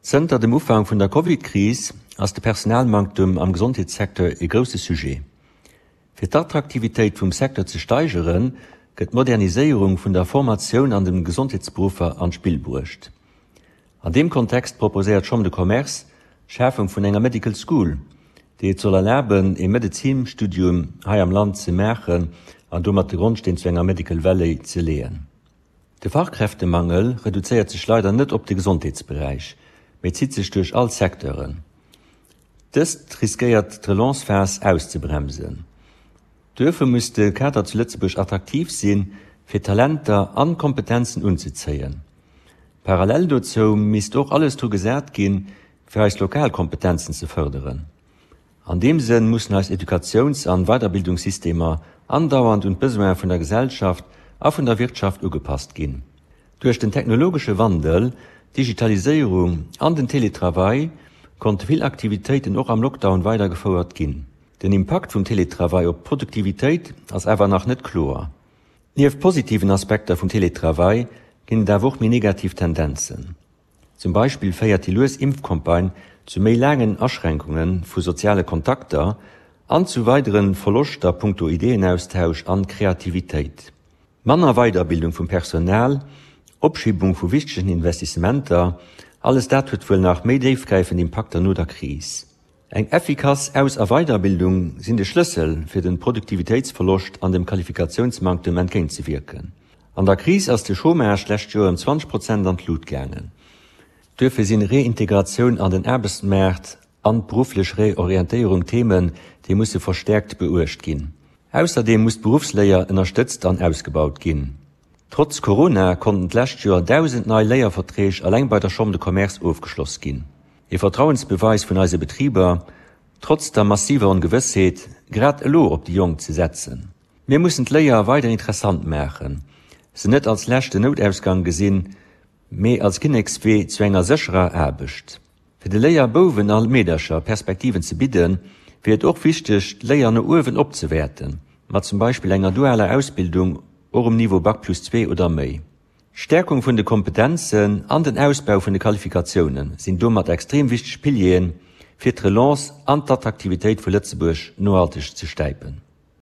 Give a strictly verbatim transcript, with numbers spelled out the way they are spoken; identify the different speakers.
Speaker 1: Zënter dem Ufank vun der Covid-Kris ass de Personalmanktem am Gesondheetssecteur e grousse Sujet. Fir d'Attraktivitéit vum Secteur ze steigeren, gëtt d'Moderniséierung vun der Formatioun an de Gesondheetsberuffer an d'Spill bruecht. An deem Kontext proposéiert d'Chambre de Commerce d'Schafung vun enger Medical School, déi et soll erlaben, ee Medezinstudium hei am Land ze maachen an domat de Grondsteen zu enger Medical Valley ze leeën. De Fachkräftemangel reduzéiert sech leider net op de Gesondheetsberäich, mee zitt sech duerch all Secteuren. Dëst riskéiert d'Relance-Phas auszebremsen. Duerfir muss de Kader zu Lëtzebuerg attraktiv sinn, fir Talenter an Kompetenzen unzezéien. Parallel dozou misst och alles dru gesat ginn, fir eis lokal Kompetenzen ze fërderen. An deem Sënn mussen eis Educatiouns an Weiderbildungssystemer andauernd un d'Besoine vun der Gesellschaft a vun der Wirtschaft ugepasst ginn. Duerch den technologesche Wandel, d'Digitaliséierung an den Teletravail konnte vill Aktivitéiten och am Lockdown weidergefouert ginn. Den Impakt vum Teletravail op d'Produktivitéit ass awer nach net kloer. Nieft positiven Aspekter vum Teletravail ginn et awer och méi negativ Tendenzen. Zum Beispill féiert déi lues Impfcampagne zu méi laangen Aschränkunge vu soziale Kontakter an zu weidere Verloschter punkto Ideeënaustausch an Kreativitéit. Manner Weiderbildung vum Personal, Opschibung vu wichtegen Investissementer, alles dat huet wuel nach méi déifgräifend Impakter no der Kris. Eng effikass Aus a Weiderbildung sinn de Schlëssel, fir dem Produktivitéitsverloscht an dem Qualifikatiounsmanktem entgéintzewierken. An der Kris ass de Chômage d'lescht Joer ëm zwanzeg Prozent an d'Lut gaangen. Duerfir sinn Reintegratioun an den Aarbechtsmaart an d'berufflech Reorientéierung Themen, déi musse verstäerkt beuecht ginn. Ausserdeem muss d'Beruffsléier ënnerstëtzt an ausgebaut ginn. Trotz Corona konnten d'lescht Joer dausend nei Léierverträg eleng bei der Chambre de Commerce ofgeschloss ginn. Ee Vertrauensbeweis vun eise Betriber, trotz der massiver Ongewëssheet, grad elo op déi Jonk ze setzen. Mir mussen d'Léier weider interessant maachen, se net als leschten Noutausgang gesinn, mee als Kinnekswee zu enger sécherer Aarbecht. Fir de Léierbouwen a Meedercher Perspektiven ze bidden, wier et och wichteg, d'Léier no uewen opzewäerten, mat zum Beispill enger dualer Ausbildung och um Niveau Bac plus zwee oder méi. D'Stäerkung vun de Kompetenzen an den Ausbau vun de Qualifikatioune sinn domat extrem wichteg Pilieren, fir d'Relance an d'Attraktivitéit vu Lëtzebuerg nohalteg ze stäipen.